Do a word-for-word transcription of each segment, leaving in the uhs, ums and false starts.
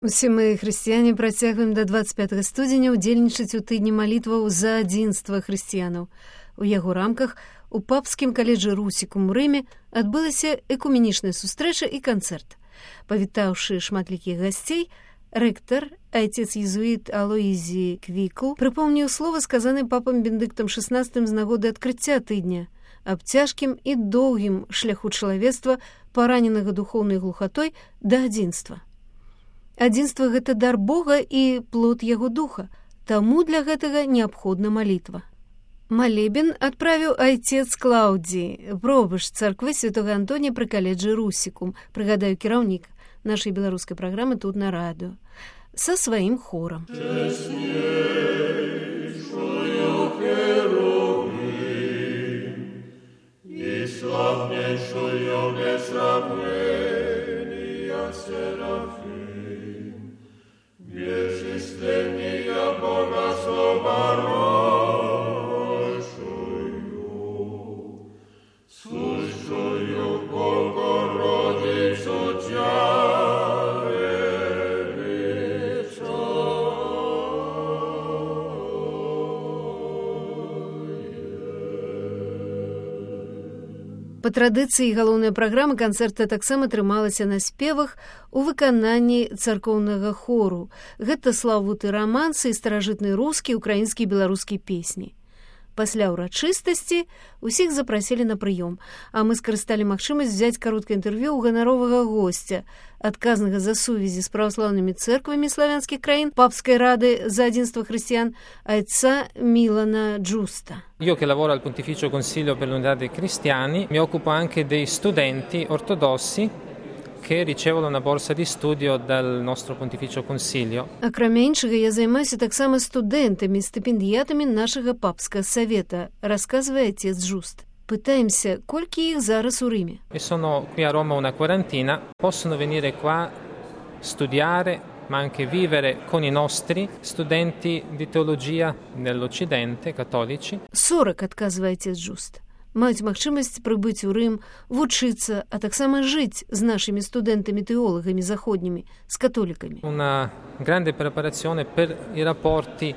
Усе мы, хрысціяне, працягваем да дваццаць пятага студзеня ўдзельнічаць у тыдні малітваў за адзінства хрысціянаў. У яго рамках у папскім каледжы Русікум у Рыме адбылася экуменічная сустрэча і канцэрт. Павітаўшы шматлікіх гасцей, рэктар, айцец-езуіт Алоізі Квікл, прыпомніў слова, сказанае папам Бенедыктам шаснаццатым з нагоды адкрыцця тыдня, аб цяжкім і доўгім шляху чалавецтва, параненага духоўнай глухатой да адзінства. Адзінства – гэта дар Бога і плод яго духа, таму для гэтага неабходна малітва. Малебен адправіў айцец Клаўдзі, пробышч царквы святога Антонія пры каледжы Русікум, прыгадаю, кіраўнік нашай беларускай праграмы тут на радыё, са сваім хорам. Па традыцыі галоўная праграма канцэрта таксама трымалася на спевах у выкананні царкоўнага хору. Гэта славуты рамансы і старажытныя рускія, украінскія і беларускія песні. Пасля ўрачыстасці ўсіх запрасілі на прыём, а мы скарысталі магчымасць взяць кароткае інтэрв'ю ў ганаровага госця, адказнага за сувязі з праваслаўнымі цэрквамі славянскіх краін, папскай рады за адзінства хрысціян, айца Мілана Джуста. Io che lavoro al Pontificio Consiglio per l'Unità dei Cristiani mi occupo anche dei studenti ortodossi che ricevono una borsa di studio dal nostro Pontificio Consiglio. Акрамя іншага, я займаюся таксама студэнтамі, стыпендыятамі нашага папскага савета, расказвае отец Джуст. Пытаемся, колькі іх зараз у Рыме. E sono qui a Roma una quarantina, possono venire qua studiare, ma anche vivere con i nostri studenti di teologia nell'Occidente, cattolici. сорок, адказвае отец Джуст. Маюць магчымасць прыбыць у Рым, вучыцца, а таксама жыць з нашымі студэнтамі-тэолагамі заходнімі, з католікамі. Una grande preparazione per i rapporti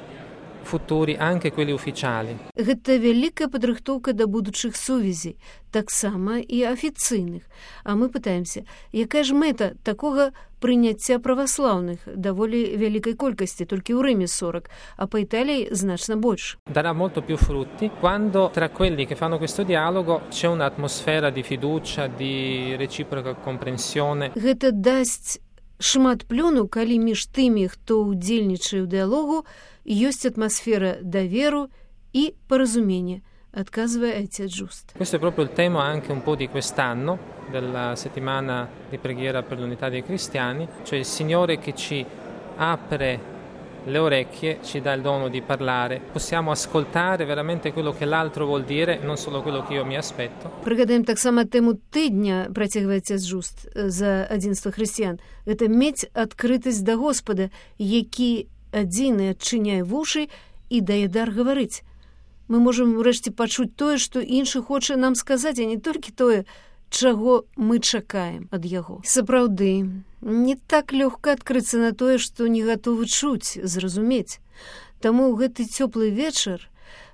futuri, anche quelli ufficiali. Гэта вялікая падрыхтоўка да будучых сувязей, таксама і афіцыйных. А мы пытаемся, якая ж мэта такога прыняцця праваслаўных, даволі вялікай колькасці, толькі ў Рыме сорок, а па Італіі значна больш. Darà molto più frutti quando tra quelli che fanno questo dialogo c'è un'atmosfera di fiducia, di reciproca comprensione. Гэта дасць шмат плёну, калі між тымі, хто ўдзельнічае ў дыалогу, ёсць атмасфера даверу і паразумення, адказвае отец Джуст. Questo è proprio il tema anche un po' di quest'anno, della settimana di preghiera per l'unità dei cristiani, cioè il Signore che ci apre le orecchie, ci dà il dono di parlare. Possiamo ascoltare veramente quello che l'altro vuol dire, non solo quello che io mi aspetto. Прыгадаем таксама тэму тыдня, працягвае отец Джуст, за адзінства хрысціян. Гэта мець адкрытасць да Господа, які адзіны адчыняе вушы і дае дар гаварыць. Мы можам урэшце пачуць тое, што іншы хоча нам сказаць, а не толькі тое, чаго мы чакаем ад яго. Сапраўды, не так лёгка адкрыцца на тое, што не гатовы чуць, зразумець. Таму ў гэты цёплы вечар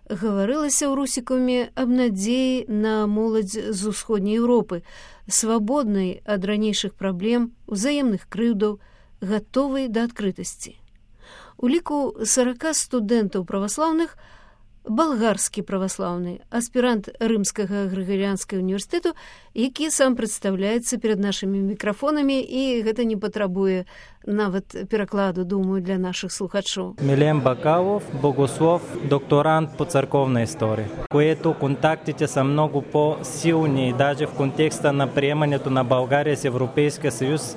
гаварылася ў Русікуме аб надзеі на моладзь з усходняй Еўропы, свабоднай ад ранейшых праблем, узаемных крыўдаў, гатовай да адкрытасці. У ліку сорок студэнтаў праваслаўных балгарскі праваслаўны, аспірант Рымскага Грыгарыянскага універсітэту, які сам прадстаўляецца перад нашымі мікрафонамі, і гэта не патрабуе нават перакладу, думаю, для наших слухачоў. Милен Бакалов, богослов, докторант по църковна история, което контактите са много по-силни, даже в контекста на приемането на България с Европейския съюз.